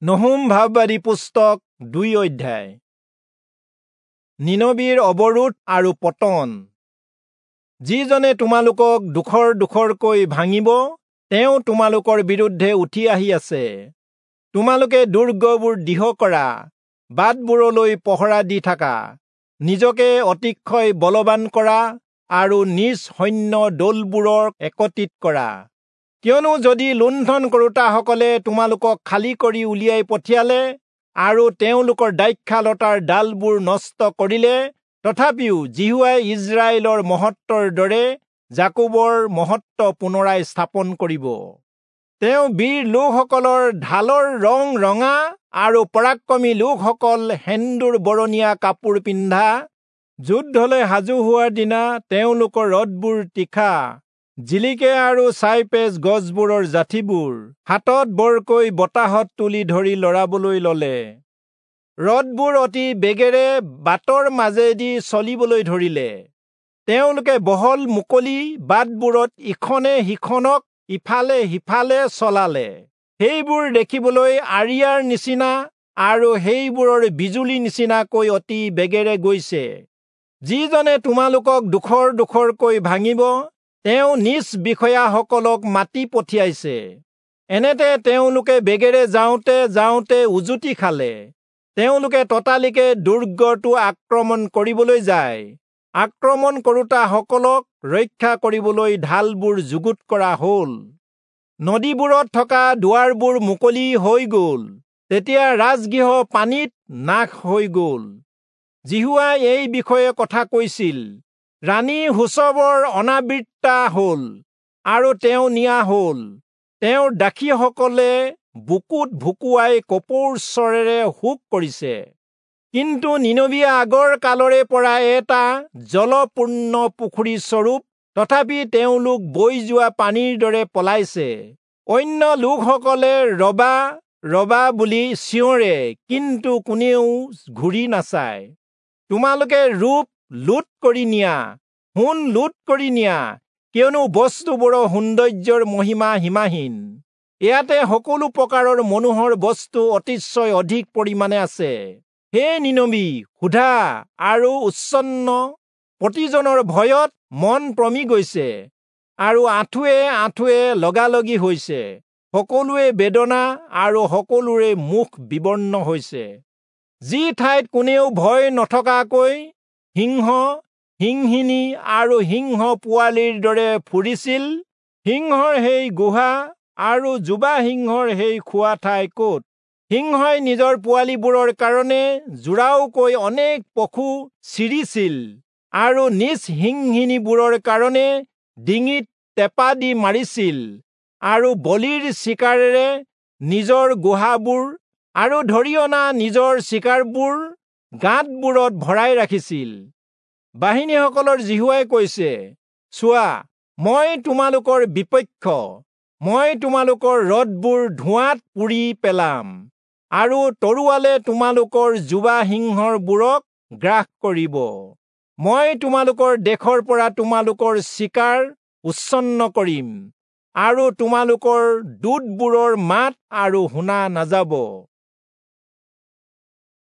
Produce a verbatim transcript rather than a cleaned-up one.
নহুম ভাববাদী পুস্তক দুই অধ্যায়। নীনবিৰ অৱৰোধ আৰু পতন। যিজনে তোমালোকক ডোখৰ ডোখৰকৈ ভাঙিব, তেওঁ তোমালোকৰ বিৰুদ্ধে উঠি আহি আছে। তোমালোকে দুৰ্গবোৰ দৃঢ় কৰা, বাটবোৰলৈ পহৰা দি থাকা, নিজকে অতিশয় বলৱান কৰা আৰু নিজ সৈন্য দলবোৰক একত্ৰিত কৰা। কিয়নো যদি লুণ্ঠন কৰোতাসকলে তোমালোকক খালী কৰি উলিয়াই পঠিয়ালে আৰু তেওঁলোকৰ দ্ৰাক্ষালতাৰ ডালবোৰ নষ্ট কৰিলে, তথাপিও যিহোৱাই ইস্ৰায়েলৰ মহত্বৰ দৰে যাকোবৰ মহত্ব পুনৰাই স্থাপন কৰিব। তেওঁ বীৰ লোকসকলৰ ঢালৰ ৰং ৰঙা আৰু পৰাক্ৰমী লোকসকল সেন্দুৰ বৰণীয়া কাপোৰ পিন্ধা, যুদ্ধলৈ সাজু হোৱাৰ দিনা তেওঁলোকৰ ৰথবোৰ তীখা জিলিকে আৰু চাইপ্ৰেছ গছবোৰৰ যাঠিবোৰ হাতত বৰকৈ বতাহত তুলি ধৰি লৰাবলৈ ললে। ৰথবোৰ অতি বেগেৰে বাটৰ মাজেদি চলিবলৈ ধৰিলে। তেওঁলোকে বহল মুকলি বাটবোৰত ইখনে সিখনক ইফালে সিফালে চলালে। সেইবোৰ দেখিবলৈ আৰিয়াৰ নিচিনা আৰু সেইবোৰৰ বিজুলী নিচিনাকৈ অতি বেগেৰে গৈছে। যিজনে তোমালোকক ডোখৰ ডোখৰকৈ ভাঙিব, তেওঁ নিজ বিষয়াসকলক মাতি পঠিয়াইছে। এনেতে তেওঁলোকে বেগেৰে যাওঁতে যাওঁতে উজুটি খালে। তেওঁলোকে ততালিকে দুৰ্গটো আক্ৰমণ কৰিবলৈ যায়। আক্ৰমণ কৰোতাসকলক ৰক্ষা কৰিবলৈ ঢালবোৰ যুগুত কৰা হ'ল। নদীবোৰত থকা দুৱাৰবোৰ মুকলি হৈ গ'ল। তেতিয়া ৰাজগৃহ পানীত নাশ হৈ গ'ল। যিহোৱাই এই বিষয়ে কথা কৈছিল। ৰাণী হুচবৰ অনাবৃত্তা হ'ল আৰু তেওঁ নিয়া হ'ল। তেওঁৰ দাসীসকলে বুকুত ভুকুৱাই কপৌৰ স্বৰেৰে শোক কৰিছে। কিন্তু নীনবি আগৰ কালৰে পৰা এটা জলপূৰ্ণ পুখুৰী স্বৰূপ, তথাপি তেওঁলোক বৈ যোৱা পানীৰ দৰে পলাইছে। অন্য লোকসকলে ৰবা ৰবা বুলি চিঞৰে, কিন্তু কোনেও ঘূৰি নাচায়। তোমালোকে ৰূপ লুট কৰি নিয়া, সোণ লুট কৰি নিয়া, কিয়নো বস্তুবোৰৰ সৌন্দৰ্যৰ মহিমা সীমাহীন। ইয়াতে সকলো প্ৰকাৰৰ মনোহৰ বস্তু অতিশয় অধিক পৰিমাণে আছে। হে নীনবি, সোধা আৰু উচ্ছন্ন প্ৰতিজনৰ ভয়ত মন পমি গৈছে আৰু আঁঠুৱে আঁঠুৱে লগালগি হৈছে। সকলোৱে বেদনা আৰু সকলোৰে মুখ বিবৰ্ণ হৈছে। যি ঠাইত কোনেও ভয় নথকাকৈ সিংহ, সিংহিনী আৰু সিংহ পোৱালিৰ দৰে ফুৰিছিল, সিংহৰ সেই গুহা আৰু যুৱা সিংহৰ সেই খোৱা ঠাই ক'ত? সিংহই নিজৰ পোৱালিবোৰৰ কাৰণে জোৰাওকৈ অনেক পশু চিৰিছিল আৰু নিজ সিংহিনীবোৰৰ কাৰণে ডিঙিত টেপা দি মাৰিছিল আৰু বলিৰ চিকাৰেৰে নিজৰ গুহাবোৰ আৰু ধৰি অনা নিজৰ চিকাৰবোৰ গাঁতবোৰত ভৰাই ৰাখিছিল। বাহিনীসকলৰ যিহোৱাই কৈছে, চোৱা, মই তোমালোকৰ বিপক্ষ, মই তোমালোকৰ ৰথবোৰ ধোঁৱাত পুৰি পেলাম আৰু তৰোৱালে তোমালোকৰ যুৱা সিংহবোৰক গ্ৰাস কৰিব। মই তোমালোকৰ দেশৰ পৰা তোমালোকৰ চিকাৰ উচ্ছন্ন কৰিম আৰু তোমালোকৰ দূতবোৰৰ মাত আৰু শুনা নাযাব।